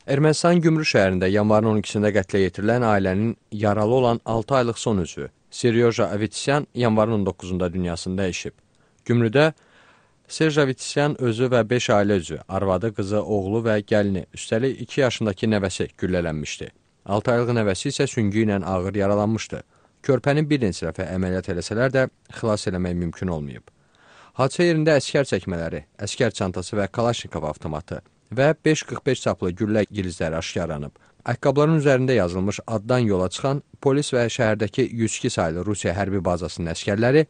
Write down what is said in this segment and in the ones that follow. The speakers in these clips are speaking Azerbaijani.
Ermənistan Gümrü şəhərində yanvarın 12-sində qətlə yetirilən ailənin yaralı olan 6 aylıq son üzvü Seryoja Avetsyan yanvarın 19-da dünyasını dəyişib. Gümrüdə Serj Avetsyan özü və 5 ailə üzvü, arvadı, qızı, oğlu və gəlini, üstəlik 2 yaşındakı nəvəsi güllələnmişdi. 6 aylıq nəvəsi isə süngü ilə ağır yaralanmışdı. Körpənin bir neçə dəfə əməliyyat eləsələr də xilas eləmək mümkün olmayıb. Hadisə yerində əskər çəkmələri, əskər çantası və Kalaşnikov avtomatı və 5.45 çaplı güllə gilizləri aşkarlanıb. Ayaqqabıların üzərində yazılmış addan yola çıxan polis və şəhərdəki 102 saylı Rusiya hərbi bazasının əskərləri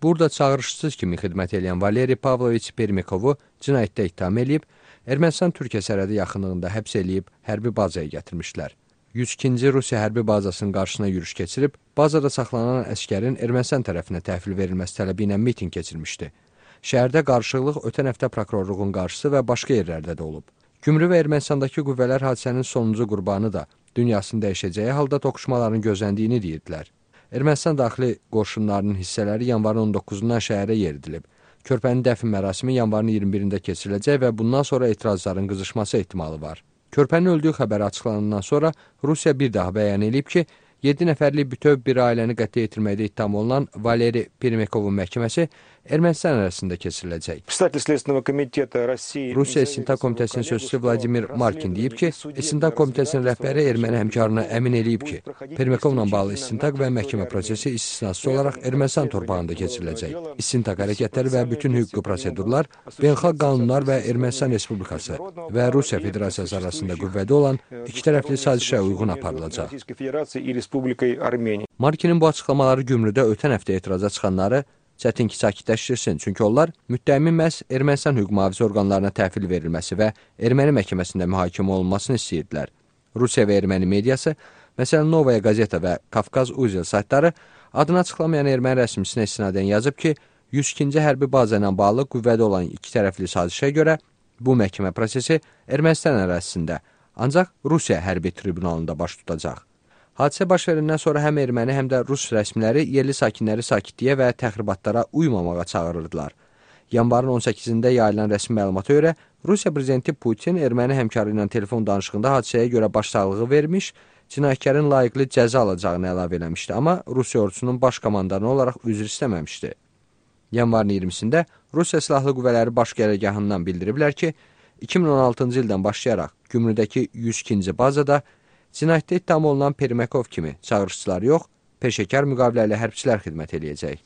burada çağırışsız kimi xidmət edən Valeri Pavloviç Permikovu cinayətdə ittiham edib, Ermənistan-Türkiyə sərhədi yaxınlığında həbs edib hərbi bazaya gətirmişlər. 102-ci Rusiya hərbi bazasının qarşısına yürüş keçirib, bazada saxlanan əskərin Ermənistan tərəfinə təhvil verilməsi tələbi ilə miting keçirmişdi. Şəhərdə qarışıqlıq ötən həftə prokurorluğun qarşısı və başqa yerlərdə də olub. Gümrü və Ermənistandakı qüvvələr hadisənin sonuncu qurbanı da dünyasını dəyişəcəyi halda toqquşmaların gözləndiyini deyirdilər. Ermənistan daxili qoşunlarının hissələri yanvarın 19-dan şəhərə yeridilib. Körpənin dəfn mərasimi yanvarın 21-də keçiriləcək və bundan sonra etirazların qızışması ehtimalı var. Körpənin öldüyü xəbəri açıqlanandan sonra Rusiya bir daha bəyan edib ki, 7 nəfərlik bütöv bir ailəni qətlə yetirməkdə ittiham olunan Valeri Permikovun məhkəməsi Ermənistan arasında keçiriləcək. Rusiya İstintaq Komitəsinin sözçüsü Vladimir Markin deyib ki, İstintaq Komitəsinin rəhbəri erməni həmkarına əmin eləyib ki, Permikovla bağlı istintaq və məhkəmə prosesi istisnasız olaraq Ermənistan torpağında keçiriləcək. İstintaq hərəkətləri və bütün hüquqi prosedurlar beynəlxalq qanunlar və Ermənistan Respublikası və Rusiya Federasiyası arasında qüvvədə olan iki tərəfli sazişə uyğun aparılacaq. Markinin bu açıqlamaları Gümrüdə ötən həftə etiraza çıxanları çətin ki, sakitləşdirsin, çünki onlar müttəhimin məhz Ermənistan hüquq mühafizə orqanlarına təhvil verilməsi və erməni məhkəməsində mühakimə olunmasını istəyirdilər. Rusiya və erməni mediası, məsələn, Novaya Gazeta və Kafkaz Uzel saytları adını açıqlamayan erməni rəsmisinə istinadən yazıb ki, 102-ci hərbi baza ilə bağlı qüvvədə olan iki tərəfli sazişə görə bu məhkəmə prosesi Ermənistan ərazisində, ancaq Rusiya hərbi tribunalında baş tutacaq. Hadisə baş verəndən sonra həm erməni, həm də Rus rəsmiləri yerli sakinləri sakitliyə və təxribatlara uymamağa çağırırdılar. Yanvarın 18-də yayılan rəsmi məlumata görə Rusiya prezidenti Putin erməni həmkarı ilə telefon danışığında hadisəyə görə başsağlığı vermiş, cinayətkarın layiqli cəza alacağını əlavə eləmişdi, amma Rusiya ordusunun baş komandanı olaraq üzr istəməmişdi. Yanvarın 20-sində Rusiya Silahlı Qüvvələri Baş Qərargahından bildiriblər ki, 2016-cı ildən başlayaraq Gümrüdəki 102-ci bazada cinayətdə ittiham olunan Permikov kimi çağırışçılar yox, peşəkar müqaviləli hərbçilər xidmət eləyəcək.